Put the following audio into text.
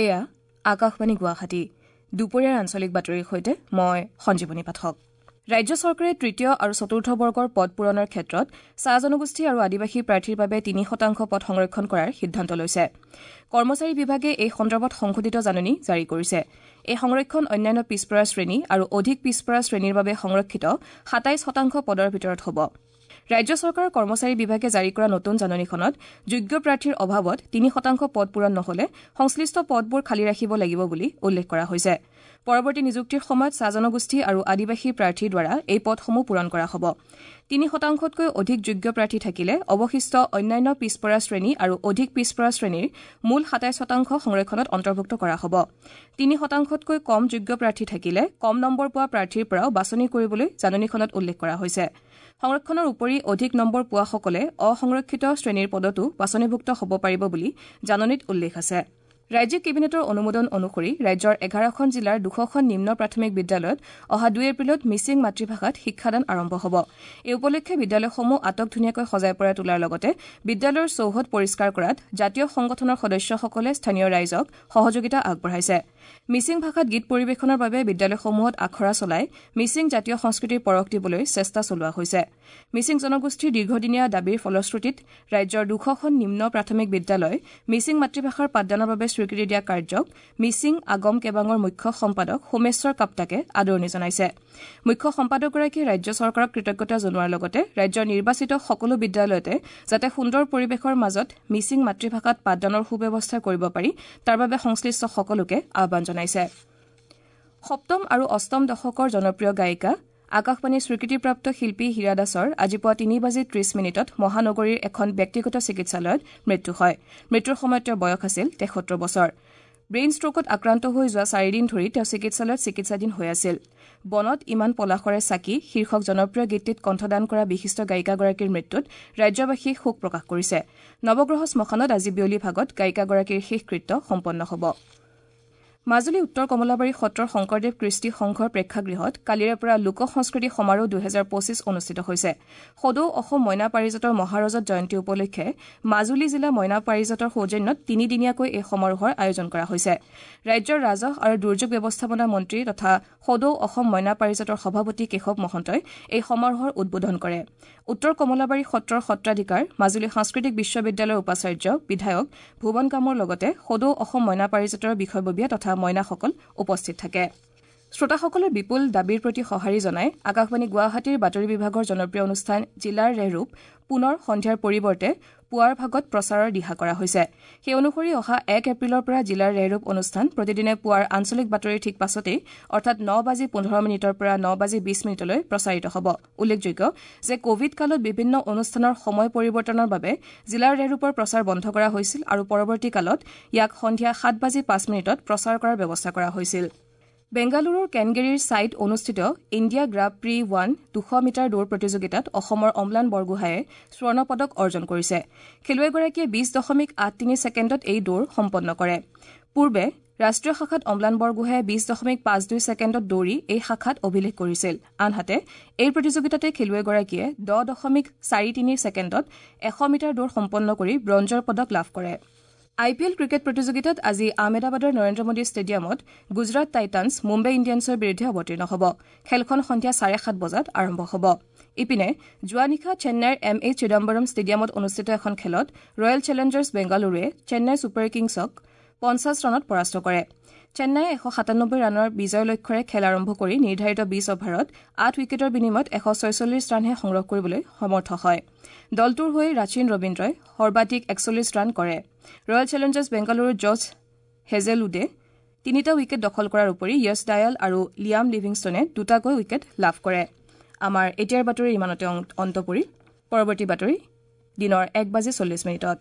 এয়া আকাশবাণী গুৱাহাটী। দুপৰীয়াৰ আঞ্চলিক বাতৰিৰ সৈতে মই সঞ্জীৱনী পাঠক। ৰাজ্য চৰকাৰে তৃতীয় আৰু চতুৰ্থ বৰ্গৰ পদ পূৰণৰ ক্ষেত্ৰত চাহ জনগোষ্ঠী আৰু আদিবাসী প্ৰাৰ্থীৰ বাবে 3% পদ সংৰক্ষণ কৰাৰ সিদ্ধান্ত লৈছে। কৰ্মচাৰী বিভাগে এই সন্দৰ্ভত সংশোধিত জাননী জাৰি কৰিছে। এই সংৰক্ষণ অন্যান্য পিছপৰা শ্ৰেণী আৰু অধিক পিছপৰা শ্ৰেণীৰ বাবে সংৰক্ষিত 27% পদৰ ভিতৰত হ'ব। ৰাজ্য চৰকাৰৰ কৰ্মচাৰী বিভাগে জাৰি কৰা নতুন জাননীখনত যোগ্য প্ৰাৰ্থীৰ অভাৱত 3% পদ পূৰণ নহ'লে সংশ্লিষ্ট পদবোৰ খালী ৰাখিব লাগিব বুলি উল্লেখ কৰা হৈছে। পৰৱৰ্তী নিযুক্তিৰ সময়ত চাহ জনগোষ্ঠী আৰু আদিবাসী প্ৰাৰ্থীৰ দ্বাৰা এই পদসমূহ পূৰণ কৰা হ'ব। 3%তকৈ অধিক যোগ্য প্ৰাৰ্থী থাকিলে অৱশিষ্ট অন্যান্য পিছপৰা শ্ৰেণী আৰু অধিক পিছপৰা শ্ৰেণীৰ মূল 27% সংৰক্ষণত অন্তৰ্ভুক্ত কৰা হ'ব। 3%তকৈ কম যোগ্য প্ৰাৰ্থী থাকিলে কম নম্বৰ পোৱা প্ৰাৰ্থীৰ পৰাও বাছনি কৰিবলৈ জাননীখনত উল্লেখ কৰা হৈছে। সংৰক্ষণৰ উপৰি অধিক নম্বৰ পোৱাসকলে অসংৰক্ষিত শ্ৰেণীৰ পদতো বাছনিভুক্ত হ'ব পাৰিব বুলি জাননীত উল্লেখ আছে। ৰাজ্যিক কেবিনেটৰ অনুমোদন অনুসৰি ৰাজ্যৰ 11খন জিলাৰ 200খন নিম্ন প্ৰাথমিক বিদ্যালয়ত অহা 2 এপ্ৰিলত মিচিং মাতৃভাষাত শিক্ষাদান আৰম্ভ হ'ব। এই উপলক্ষে বিদ্যালয়সমূহ আটক ধুনীয়াকৈ সজাই পৰাই তোলাৰ লগতে বিদ্যালয়ৰ চৌহদ পৰিষ্কাৰ কৰাত জাতীয় সংগঠনৰ সদস্যসকলে স্থানীয় ৰাইজক সহযোগিতা আগবঢ়াইছে। মিচিং ভাষাত গীত পৰিৱেশনৰ বাবে বিদ্যালয়সমূহত আখৰা চলাই মিচিং জাতীয় সংস্কৃতিৰ পৰশ দিবলৈ চেষ্টা চলোৱা হৈছে। মিচিং জনগোষ্ঠীৰ দীৰ্ঘদিনীয়া দাবীৰ ফলশ্ৰুতিত ৰাজ্যৰ 200খন নিম্ন প্ৰাথমিক বিদ্যালয় মিচিং মাতৃভাষাৰ পাঠদানৰ বাবে স্বীকৃতি দিয়া কাৰ্যক মিচিং আগম কেবাঙৰ মুখ্য সম্পাদক সোমেশ্বৰ কাপ্তাকে আদৰণি জনাইছে। মুখ্য সম্পাদকগৰাকীয়ে ৰাজ্য চৰকাৰক কৃতজ্ঞতা জনোৱাৰ লগতে ৰাজ্যৰ নিৰ্বাচিত সকলো বিদ্যালয়তে যাতে সুন্দৰ পৰিৱেশৰ মাজত মিচিং মাতৃভাষাত পাঠদানৰ সুব্যৱস্থা কৰিব পাৰি তাৰ বাবে সংশ্লিষ্ট সকলোকে আহ্বান জনাইছে। সপ্তম আৰু অষ্টম দশকৰ জনপ্ৰিয় গায়িকা আকাশবাণীৰ স্বীকৃতিপ্ৰাপ্ত শিল্পী হীৰা দাসৰ আজি পুৱা 3:30 মহানগৰীৰ এখন ব্যক্তিগত চিকিৎসালয়ত মৃত্যু হয়। মৃত্যুৰ সময়ত তেওঁৰ বয়স আছিল 73 বছৰ। ব্ৰেইন ষ্ট্ৰোকত আক্ৰান্ত হৈ যোৱা 4 দিন ধৰি তেওঁ চিকিৎসালয়ত চিকিৎসাধীন হৈ আছিল। বনত ইমান পলাশৰে চাকি শীৰ্ষক জনপ্ৰিয় গীতটিত কণ্ঠদান কৰা বিশিষ্ট গায়িকাগৰাকীৰ মৃত্যুত ৰাজ্যবাসীয়ে শোক প্ৰকাশ কৰিছে। নৱগ্ৰহ শ্মশানত আজি বিয়লি ভাগত গায়িকাগৰাকীৰ শেষকৃত্য সম্পন্ন হ'ব। মাজুলী উত্তৰ কমলাবাৰী সত্ৰৰ শংকৰদেৱ কৃষ্টি সংঘৰ প্ৰেক্ষাগৃহত কালিৰে পৰা লোক সংস্কৃতি সমাৰোহ 2025 অনুষ্ঠিত হৈছে। সদৌ অসম মইনা পাৰিজাতৰ মহাৰজত জয়ন্তী উপলক্ষে মাজুলী জিলা মইনা পাৰিজাতৰ সৌজন্যত তিনিদিনীয়াকৈ এই সমাৰোহৰ আয়োজন কৰা হৈছে। ৰাজ্যৰ ৰাজহ আৰু দুৰ্যোগ ব্যৱস্থাপনা মন্ত্ৰী তথা সদৌ অসম মইনা পাৰিজাতৰ সভাপতি কেশৱ মহন্তই এই সমাৰোহৰ উদ্বোধন কৰে। উত্তৰ কমলাবাৰী সত্ৰৰ সত্ৰাধিকাৰ মাজুলী সাংস্কৃতিক বিশ্ববিদ্যালয়ৰ উপাচাৰ্য বিধায়ক ভুৱন কামৰ লগতে সদৌ অসম মইনা পাৰিজাতৰ বিষয়ববীয়া তথা মইনাসকল উপস্থিত থাকে। শ্ৰোতাসকলৰ বিপুল দাবীৰ প্ৰতি সঁহাৰি জনাই আকাশবাণী গুৱাহাটীৰ বাতৰি বিভাগৰ জনপ্ৰিয় অনুষ্ঠান জিলাৰ ৰেহৰূপ পুনৰ সন্ধিয়াৰ পৰিৱৰ্তে পুৱাৰ ভাগত প্ৰচাৰৰ দিহা কৰা হৈছে। সেই অনুসৰি অহা 1 এপ্ৰিলৰ পৰা জিলাৰ ৰেহৰূপ অনুষ্ঠান প্ৰতিদিনে পুৱাৰ আঞ্চলিক বাতৰিৰ ঠিক পাছতেই অৰ্থাৎ 9:15 পৰা 9:20 প্ৰচাৰিত হ'ব। উল্লেখযোগ্য যে কোভিড কালত বিভিন্ন অনুষ্ঠানৰ সময় পৰিৱৰ্তনৰ বাবে জিলাৰ ৰেহৰূপৰ প্ৰচাৰ বন্ধ কৰা হৈছিল আৰু পৰৱৰ্তী কালত ইয়াক সন্ধিয়া 7:05 প্ৰচাৰ কৰাৰ ব্যৱস্থা কৰা হৈছিল। বেংগালুৰুৰ কেনগেৰীৰ ছাইত অনুষ্ঠিত ইণ্ডিয়া গ্ৰাঁ প্ৰি 1 200 মিটাৰ দৌৰ প্ৰতিযোগিতাত অসমৰ অম্লান বৰগোহাঁয়ে স্বৰ্ণ পদক অৰ্জন কৰিছে। খেলুৱৈগৰাকীয়ে 20.83 ছেকেণ্ডত এই দৌৰ সম্পন্ন কৰে। পূৰ্বে ৰাষ্ট্ৰীয় শাখাত অম্লান বৰগোহাঁয়ে 20.52 ছেকেণ্ডত দৌৰি এই শাখাত অভিলেখ কৰিছিল। আনহাতে এই প্ৰতিযোগিতাতে খেলুৱৈগৰাকীয়ে 10.43 ছেকেণ্ডত 100 মিটাৰ দৌৰ সম্পন্ন কৰি ব্ৰঞ্জৰ পদক লাভ কৰে। আই পি এল ক্ৰিকেট প্ৰতিযোগিতাত আজি আহমেদাবাদৰ নৰেন্দ্ৰ মোদী ষ্টেডিয়ামত গুজৰাট টাইটানছ মুম্বাই ইণ্ডিয়ানছৰ বিৰুদ্ধে অৱতীৰ্ণ হ'ব। খেলখন সন্ধিয়া 7:30 বজাত আৰম্ভ হ'ব। ইপিনে যোৱা নিশা চেন্নাইৰ এম এ চিদাম্বৰম ষ্টেডিয়ামত অনুষ্ঠিত এখন খেলত ৰয়েল চেলেঞ্জাৰ্ছ বেংগালুৰুৱে চেন্নাই ছুপাৰ কিংছক 50 ৰানত পৰাস্ত কৰে। চেন্নাইয়ে 197 ৰানৰ বিজয় লক্ষ্যৰে খেল আৰম্ভ কৰি নিৰ্ধাৰিত 20 অভাৰত 8 উইকেটৰ বিনিময়ত 146 ৰানহে সংগ্ৰহ কৰিবলৈ সমৰ্থ হয়। দলটোৰ হৈ ৰাচিন ৰবীন্দ্ৰই সৰ্বাধিক 41 ৰান কৰে। ৰয়েল চেলেঞ্জাৰ্ছ বেংগালুৰুৰ জছ হেজেলউডে 3টা উইকেট দখল কৰাৰ উপৰি য়ছ ডায়াল আৰু লিয়াম লিভিংষ্টনে 2টাকৈ উইকেট লাভ কৰে। আমাৰ এতিয়াৰ বাতৰি ইমানতে অন্ত পৰিল। পৰৱৰ্তী বাতৰি দিনৰ 1:40।